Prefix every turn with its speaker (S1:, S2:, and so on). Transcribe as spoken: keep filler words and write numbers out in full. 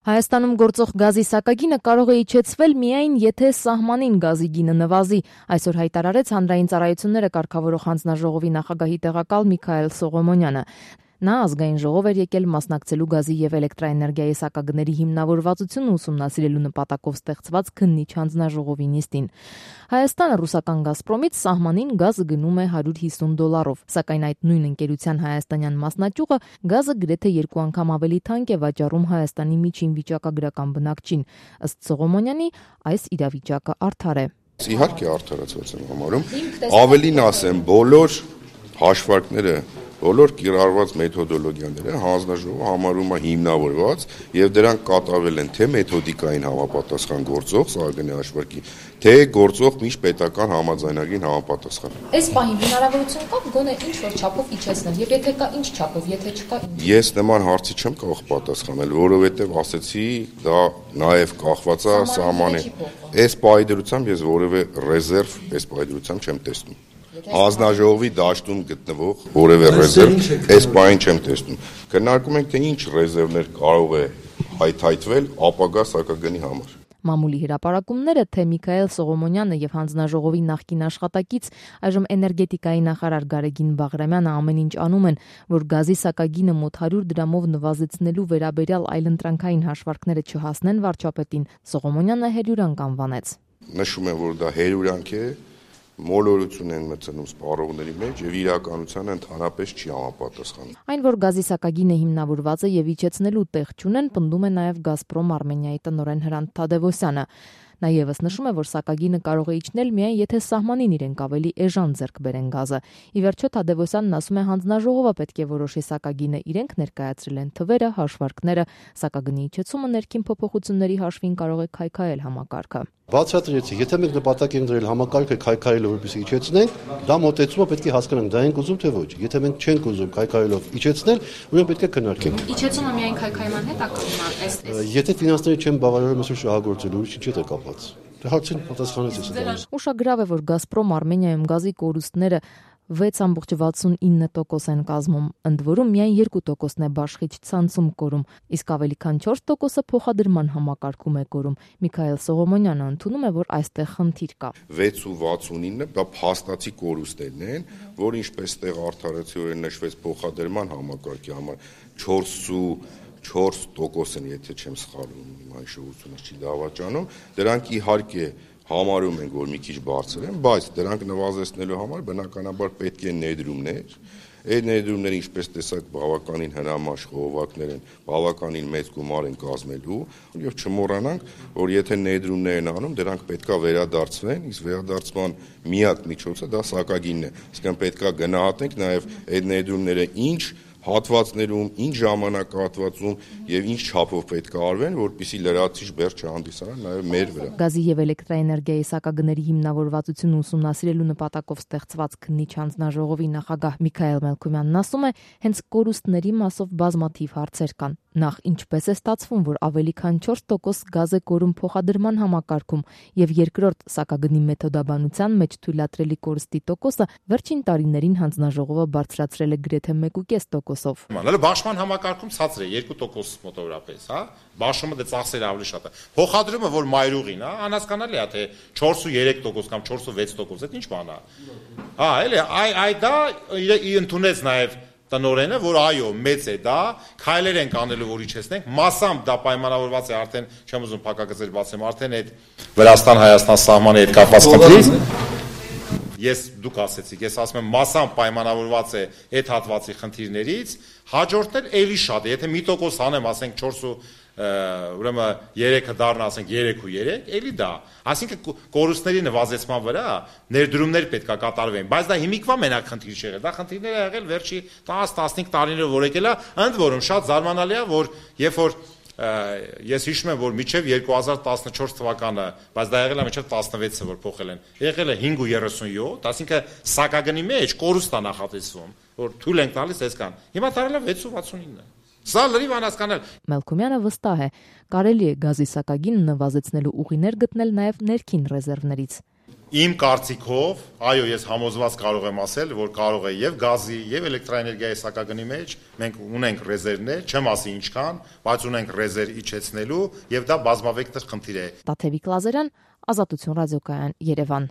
S1: Հայաստանում գործող գազի սակագինը կարող է իջեցվել միայն եթե սահմանին գազի գինը նվազի, այսօր հայտարարեց Հանրային ծառայությունները կարգավորող հանձնաժողովի նախագահի տեղակալ Միքայել Սողոմոնյանը։ Նա ազգային ժողով էր եկել մասնակցելու գազի եւ էլեկտրաէներգիայի սակագների հիմնավորվածությունը ուսումնասիրելու նպատակով ստեղծված քննիչ հանձնաժողովի նիստին։ Հայաստանը ռուսական «Գազպրոմից» սահմանին գազը գնում է հարյուր հիսուն դոլարով, սակայն այդ նույն ընկերության հայաստանյան մասնաճյուղը գազը գրեթե երկու անգամ ավելի թանկ է վաճառում Հայաստանի միջին վիճակագրական բնակչին։ Ըստ Սողոմոնյանի, այս իրավիճակը արդար է։
S2: Իհարկե արդարացված եմ համարում, ավելին ասեմ, բոլոր հաշվարկները, բոլոր կիրառված մեթոդոլոգիաները հանձնաժողովը համարում է հիմնավորված եւ դրանք կատարվել են թե մեթոդիկային համապատասխան գործող սահմանի հաշվարկի, թե գործող միջպետական համաձայնագրին համապատասխան։
S1: Այս պահին հնարավորություն կա գոնե ինչ որ չափով իջեցնել, եւ եթե կա ինչ չափով, եթե չկա ինչ։
S2: Ես նման հարցի չեմ կարող պատասխանել, որովհետեւ ասեցի, դա նաեւ կախված է սահմանի։ Այս պայդրությամբ ես որևէ ռեզերվ այս պայդրությամբ չեմ տեսնում։ Հանձնաժողովի դաշտում գտնվող որևէ ռեզերվ այս բանին չեմ տեսնում։ Քննարկում ենք, թե ինչ ռեզերվներ կարող է հայթայթվել ապագա սակագնի համար։
S1: Մամուլի հրապարակումները, թե Միքայել Սողոմոնյանը եւ հանձնաժողովի նախկին աշխատակից, այժմ էներգետիկայի նախարար Գարեգին Բաղրամյանը ամեն ինչ անում են, որ գազի սակագինը մոտ հարյուր դրամով նվազեցնելու վերաբերյալ այլընտրանքային հաշվարկները չհասնեն վարչապետին, Սողոմոնյանը հերյուրանք անվանեց։
S2: Նշում եմ, որ դա հերյուրանք է, մոլորություն են մտցնում սպառողների մեջ եւ իրականությանը ընդհանրապես չի համապատասխանում։
S1: Այն, որ գազի սակագինը հիմնավորված է եւ իջեցնելու տեղ չունեն, պնդում է նաեւ Գազպրոմ Արմենիայի տնօրեն Հրանտ Թադևոսյանը։ Նա եւս նշում է, որ սակագինը կարող է իջնել միայն եթե սահմանին իրենք ավելի էժան ձեռք բերեն գազը։ Ի վերջո Թադևոսյանն ասում է, հանձնաժողովը պետք է որոշի սակագինը, իրենք ներկայացրել են թվերը, հաշվարկները, սակագնի իջեցումը ներքին փոփոխությունների հաշվին կարող է քայքայել համակարգը։
S3: Բացատրեցի, եթե մենք նպատակ ենք դրել համակարգը քայքայելով, որպեսզի իջեցնենք, դա մոտեցումը պետք է հասկանանք, դա ենք ուզում թե ոչ։ Եթե մենք չենք ուզում քայքայելով իջեցնել, ուրեմն պետք է քննարկենք։
S1: Իջեցումը միայն քայքայման հետ է կապվում, այս
S3: Եթե ֆինանսները չեն բավարարում այսօր շահագործել, ուրիշ ինչ է կապված։ Դա հարցին պատասխանեց ես դա։
S1: Ուշագրավ է, որ Գազպրոմ Արմենիայում գազի կորուստները վեց կόμma վաթսունինը տոկոս են կազմում, ընդ որում միայն երկու տոկոսն է բաշխիչ ցանցում կորում, իսկ ավելի քան չորս տոկոսը փոխադրման համակարգում է կորում։ Միքայել Սողոմոնյանը ընդունում է, որ այստեղ խնդիր կա։
S2: վեց կόμma վաթսունինը դա փաստացի կորուստներն են, որ ինչպես տեղ արդարացիորեն նշվեց փոխադրման համակարգի համար չորս կόμma չորս տոկոս են, եթե չեմ սխալվում, իմ հիշողությունս չի դավաճանում, դրանք իհարկե համարում ենք, որ մի քիչ բարձր են, բայց դրանք նվազեցնելու համար բնականաբար պետք են ներդրումներ, այդ ներդրումները ինչպես տեսակ բավականին հնամաշ խողովակներ են, բավականին մեծ գումար են կազմելու, եւ չմոռանանք, որ եթե ներդրումներ են անում, դրանք պետքա վերադարձվեն, իսկ վերադարձման միակ միջոցը դա սակագինն է, այսինքն պետքա գնահատենք նաեւ այդ ներդրումները ինչ հատվածներում, ինչ ժամանակահատվածում եւ ինչ չափով պետք է արվեն, որպեսզի լրացիչ բեռ չհանդիսանան նաեւ մեր վրա։
S1: Գազի եւ էլեկտրաէներգիայի սակագների հիմնավորվածությունը ուսումնասիրելու նպատակով ստեղծված քննիչ հանձնաժողովի նախագահ Միքայել Մելքումյանն ասում է, հենց կորուստների մասով բազմաթիվ հարցեր կան։ Նախ ինչպես է ստացվում, որ ավելի քան չորս տոկոս գազ է կորում փոխադրման համակարգում, եւ երկրորդ սակագնի մեթոդաբանության մեջ թույլատրելի կորստի տոկոսը վերջին տարիներին հանձնաժողովը բարձրացրել է գրեթե մեկ կόμma պենս տոկոսով։
S4: Հələ բաշխման համակարգում ցածր է երկու տոկոս մոտավորապես, հա։ Բաշխումը դե ծախսերը ավելի շատ է։ Փոխադրումը, որ մայրուղին, հա, անհասկանալի է, թե չորս կόμma երեք տոկոս կամ չորս կόμma վեց տոկոս, դա ինչ բան է։ Հա, էլի, այ այ դա ընդունեց նաեւ տնորենը, որ այո, մեծ է դա, քայլեր ենք անելու, որ իջեցնենք, մասամբ դա պայմանավորված է արդեն, չեմ ուզում փակագծեր բացեմ, արդեն այդ Վրաստան-Հայաստան սահմանի հետ կապված խնդրից։ Ես դուք ասեցիք, ես ասում եմ, մասամբ պայմանավորված է այդ հատվածի խնդիրներից, հաջորդն էլ էլի շատ է, եթե մի տոկոս անեմ, ասենք չորս կόμma ուրեմն երեքը դառնա, ասենք երեք կόμma երեք, էլի դա։ Այսինքն կորուստների նվազեցման վրա ներդրումներ պետք է կատարվեն, բայց դա հիմիկվա մենակ խնդիր չի եղել, դա խնդիրներ է եղել վերջի տասը տասնհինգ տարիներով որ եկել է, ընդ որում շատ զարմանալի է, որ երբ որ ես հիշում եմ, որ մինչև երկու հազար տասնչորս թվականը, բայց դա եղել է մինչև տասնվեցը, որ փոխել են, եղել է հինգ կόμma երեսունյոթ, այսինքն սակագնի մեջ կորուստ է նախատեսվում, որ թույլ ենք տալիս այսքան։ Հիմա դարել է վեց կόμma վաթսունինը։ Սա լրիվ անհասկանալ։
S1: Մելքումյանը վստահ է, կարելի է գազի սակագինը նվազեցնելու ուղիներ գտնել նաև ներքին ռեզերվներից։
S4: Իմ կարծիքով, այո, ես համոզված կարող եմ ասել, որ կարող է եւ գազի, եւ էլեկտրաէներգիայի սակագնի մեջ մենք ունենք ռեզերվներ, չեմ ասի ինչքան, բայց ունենք ռեզերվ իջեցնելու եւ դա բազմավեկտոր խնդիր է։
S1: Տաթևիկ Լազարյան, Ազատություն ռադիոկայան, Երևան։